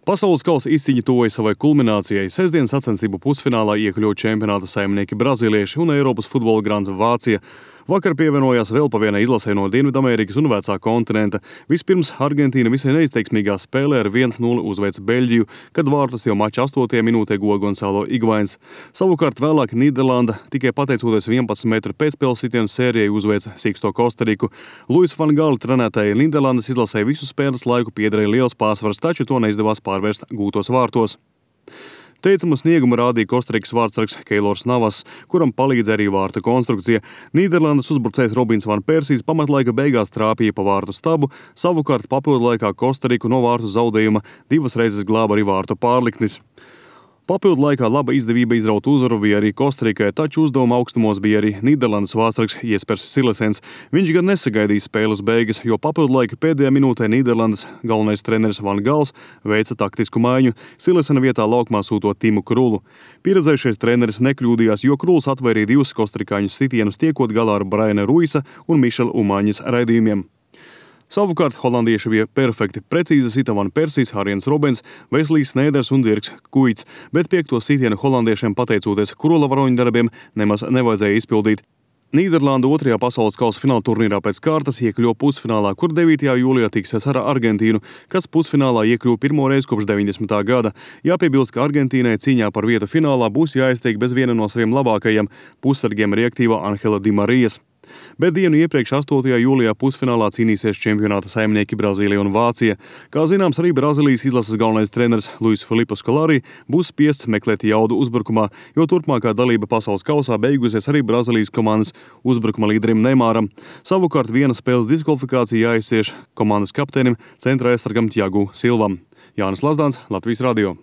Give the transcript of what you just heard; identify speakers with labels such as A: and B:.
A: Pasaules kausa izcīņa tuvoja savai kulminācijai. Sestdienas sacensību pusfinālā iekļuva čempionāta saimnieki brazīlieši un Eiropas futbola grants Vācija. Vakar pievienojās vēl pa vienai izlasei no Dienvidamerikas un vecā kontinenta. Vispirms Argentīna visai neizteiksmīgā spēlē ar 1-0 uzveica Beļģiju, kad vārtus jau mača 8. minūtē guva Gonzalo Higuains. Savukārt vēlāk Nīderlanda tikai pateicoties 11 metru pēcspēles sitienu sērijai uzveica Sīksto Kostariku. Luis van Gaal trenētajai Nīderlandes izlasē visu spēles laiku piederēja liels pārsvars, taču to neizdevās pārvērst gūtos vārtos. Teicamu sniegumu rādīja Kostarikas vārtsargs Keilors Navas, kuram palīdz arī vārtu konstrukcija. Nīderlandes uzbrucējs Robins van Persijs pamatlaika beigās trāpīja pa vārtu stabu, savukārt papildu laikā Kostariku no vārtu zaudējuma 2 reizes glāba arī vārtu pārliknis. Papildu laikā laba izdevība izraut uzvaru bija arī Kostarikai, taču uzdevuma augstumos bija arī Nīderlandes vārtsargs Jespers Silesens. Viņš gan nesagaidīja spēles beigas, jo papildu laika pēdējā minūtē Nīderlandes galvenais treneris Van Gals veica taktisku maiņu, Silesena vietā laukumā sūtot Timu Krulu. Pieredzējušais treneris nekļūdījās, jo Kruls atvairīja 2 kostarikāņu sitienus, tiekot galā ar Briana Ruisa un Mišela Umaņas raidījumiem. Savukārt holandieši bija perfekti. Precīzi sita Van Persijs, Arjens Robens, Veslijs Snēders un Dirks Kuits, bet 5. sitienu holandiešiem pateicoties Krula varoņu darbiem nemaz nevajadzēja izpildīt. Nīderlanda 2. pasaules kausa fināla turnīrā pēc kārtas iekļuva pusfinālā, kur 9. jūlijā tiksies ar Argentīnu, kas pusfinālā iekļuva pirmo reizi kopš 90. gada. Jāpiebilst, ka Argentīnai cīņā par vietu finālā būs jāiztiek bez viena no saviem labākajiem pussargiem reaktīva Angela Di Marijas. Bet dienu iepriekš 8. jūlijā pusfinālā cīnīsies čempionāta saimnieki Brazīlija un Vācija. Kā zināms, arī Brazīlijas izlases galvenais treneris Luis Filipe Scolari būs spiests meklēt jaudu uzbrukumā, jo turpmākā dalība pasaules kausā beigusies arī Brazīlijas komandas uzbrukuma līderim Neymaram. Savukārt viena spēles diskvalifikācija jāizcieš komandas kapteinim centra aizsargam Thiagu Silvam. Jānis Lazdāns, Latvijas radio.